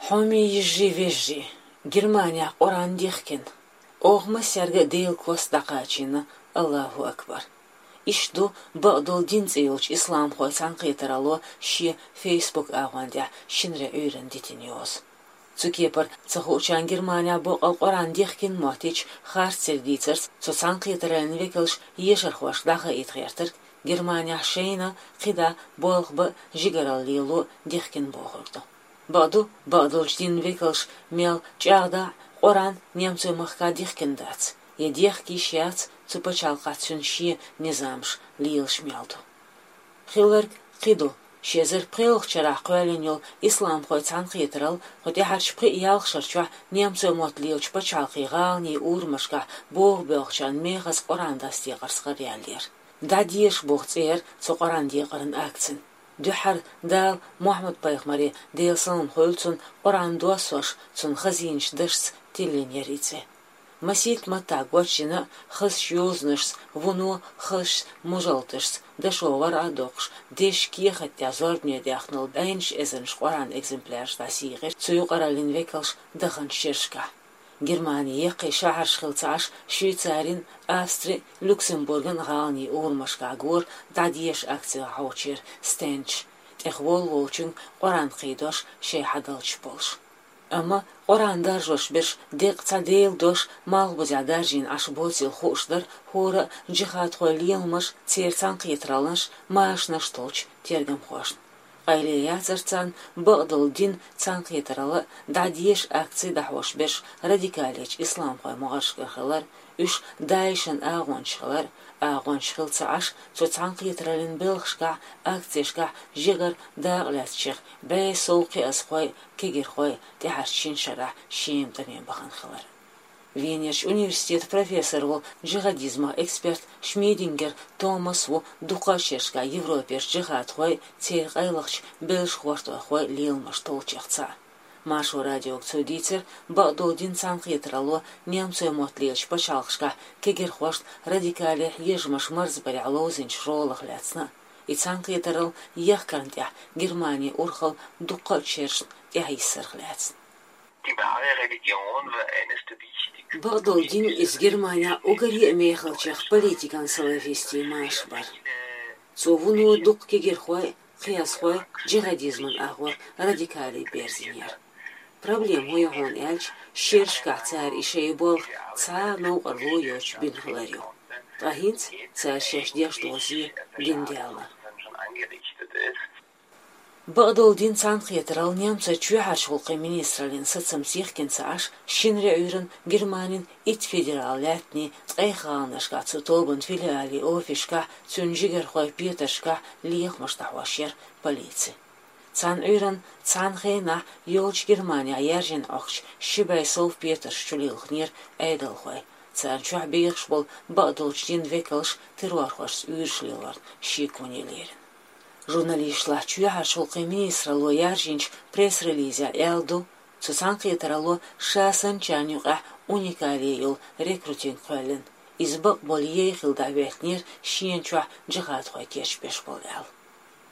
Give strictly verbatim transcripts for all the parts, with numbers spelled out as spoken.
Хьоме йижарий, вежарий, Германехь Къуръан дихкина. Оха массаьрга а Делан кост дӀакхачийна, Аллаху акбар. Иштта ду бакъдолу дин цӀе йолчу исламхойн цхьаьнакхетаралло шен Facebook агӀон тӀехь шинарин Ӏуьйранна дитина йоза. Цу кепара ца хуучарна Германехь бакъал Къуръан дихкина моттийча харцдерг дийцарца цу цхьаьнакхетараллин векалша ешархошка дӀахаийта гӀертарг, Германехь шайна кхидӀа болх бан а, жигаралла лело а дихкина бохург ду. Бакъду, бакъдолчу динан векалша мел чӀагӀдахь а, Къуръан немцойн махкахь дихкина дац, я дехка йиш яц, цу пачхьалкхехь цуьнан шен низамаш лелаш мел ду. Хилларг кхин ду: ши эзар пхоьалгӀачу шарахь кхоьллина йолу исламхойн цхьаьнакхетаралла кху тӀаьхьарчу пхи-ялх шарчохь немцойн мотт лелачу пачхьалкхийн гӀаланийн урамашкахь боху боьлхучарна мехаза Къуръан дӀасадекъарца гӀараяьллера. «ДӀадеша» боху цӀе яра цу Къуръан декъаран акцин. Дуьххьара Дала Мухьаммад-пайхамаре, Делан салам хуьлда цунна, Къуръан доссош, цуьнан хазийнаш дашца тиллина яра и цӀе. Масийтта маттахь гочдина а, хазачу йозанашца, вуно хазачу мужалташца, дашо вархӀа а доккхуш, дешан кехат тӀехь зорбане даьхна долу бӀеннаш эзарнаш Къуръан экземпляраш дӀасийкъира цу юкъараллин векалша даханчу шерашкахь. Германин яккхий шахьарш хилла ца Ӏаш, Швейцарин, Австрин, Люксембурган гӀаланийн урамашкахь гора «ДӀадеша» акци хьовчеран стендаш, тӀехволу волчуьнга Къуръан кхийдош шайн хьадалчаш болуш. Амма Къуръан даржош берш деккъа цхьа Делан дош малхбузехь даржийна Ӏаш боцийла хууш дара хӀора а джихадхойн леламаш, церан цхьаьнакхетараллаш, машанаш толлучу тергамхошна. Къайле яцара царна бакъдолу динан цхьаьнакхетаралла, «ДӀадеша» акци дӀахьош берш радикалечу исламхойн могӀаршкара хилар, уьш ДАИШан агӀончаш хилар, агӀончаш хилла ца Ӏаш, цу цхьаьнакхетараллин белхашкахь, акцешкахь жигара дакъа лаьцначех бӀе сов кхиазхой, кегирхой тӀаьхьарчу шина шарахь Шема тӀаме бахана хилар. Венерчу университетан профессор волу, джихадизман эксперт Шмидингер Томас ву дуккха а шерашкахь Европерчу джихадхойн, церан къайлахчу белшахӀоттойхойн леламаш толлучех цхьаъ. Маршо радиога цо дийцира, бакъдолу динан цхьаьнакхетаралло немцойн мотт лелачу пачхьалкхашкахь кегирхошна радикале хьежамаш марзбарехь ловзийначу ролах лаьцна а, и цхьаьнакхетаралла ехкарна тӀехь Германин урхалла дуккха а шерашна тӀехьайиссарх лаьцна. Бакъдолу дин иза Германехь уггаре а мехалчех политикан салафистийн маша бара. Цо вуно дуккха кегирхой, кхиазхой джихадизман агӀор радикале берзийнера. Проблема хӀун ю хьуна аьлча, шерашкахь цара и шайн болх цхьа а новкъарло йоцуш бина хилар ю. Ткъа хӀинца цара шаьш деш долу зе дина даьлла. Бакъдолу динан цхьаьнакхетаралла немцойн чоьхьарчу гӀуллакхийн министраллин сацамца йихкина ца Ӏаш, шинарин Ӏуьйранна Германин итт федерал лаьттанийн ткъех гӀаланашкахь цу тобанан филиалан офисашкахь, цуьнан жигархойн петаршкахь лехамаш дӀахьош яра полици. Цхьана Ӏуьйранна цхьана хенахь йолчу Германехь яьржина Ӏохкучу ши бӀе сов петарш чулилхинера Ӏедалхой, царна чохь бехаш болу бакъдолчу динан векалш террорхошца уьйраш лелорна шеконе лерина. Журналисташа чоьхьарчу гӀуллакхийн министралло яржийначу пресс-релизехь аьлла ду, цу цхьаьнакхетаралло ша санначарна юкъахь уникале йолу рекрутинг кхоьллина. Иза бакъболу яй хилла дӀахӀоьттинера шена чохь джихадхой кечбеш болу аьлла.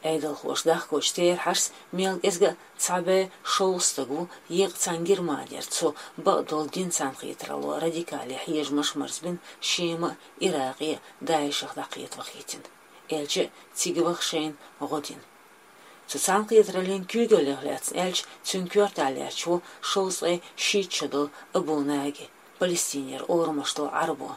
Ӏедалхоша дахкочу терахьашца, мел кӀезга а цхьа бӀе шовзткъа стаг ву еккъа цхьана Германера цу бакъдолу динан цхьаьнакхетаралло радикале хьежамаш марзбина Шема а, Иракъе а ДАИШах дӀакхета вахийтина. Аьлча а, цига ваха шайна гӀо дина. Цу цхьаьнакхетараллин куьйгаллех лаьцна аьлча, цуьнан коьртехь лаьтташ ву шовзткъе шийтта шо долу Абу Наги, Палестинера орамаш долу Ӏарбо.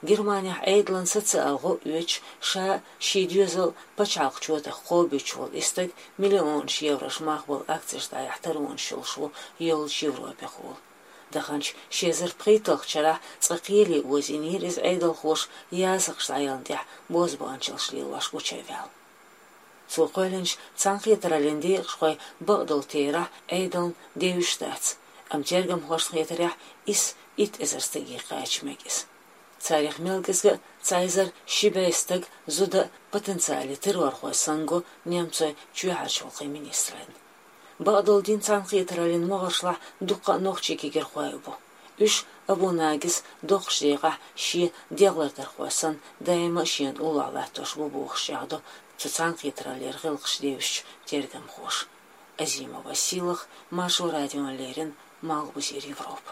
Германехь Ӏедалан социал гӀо а оьцуш, ша шен доьзал пачхьалкхан чотах кхобуьйтуш волу и стаг миллионаш еврош мах болу акцеш дӀаяхьа таронаш йолуш ву йоллучу Европехула. Даханчу ши эзар пхийтталгӀачу шарахь цкъа кхеле озийнера иза Ӏедалхоша ясакхаш дӀаяларна тӀехь бозбуанчаллаш лелош гучуваьлла. Цо кхоьллинчу цхьаьнакхетараллин декъашхой бакъдолу терахь Ӏедална девзаш дац, амма тергамхошна хетарехь, исс итт эзар стаге кхача мега иза. Царех мел кӀезга а цхьа эзар ши бӀе стаг зуда а, потенциале террорхой санна го немцойн чоьхьарчу гӀуллакхийн министраллина. Бакъдолу динан цхьаьнакхетараллин могӀаршлахь дуккха а нохчийн кегирхой а бу. Уьш Абу Нагис доккхачу декъехь шен дегӀлардархой санна, даима а шена уллохь латтош бу бохуш чӀагӀдо цу цхьаьнакхетараллера гӀиллакхаш девзачу тергамхоша. Азимова Силах, Маршал радион лерин, Малгобузер Европа.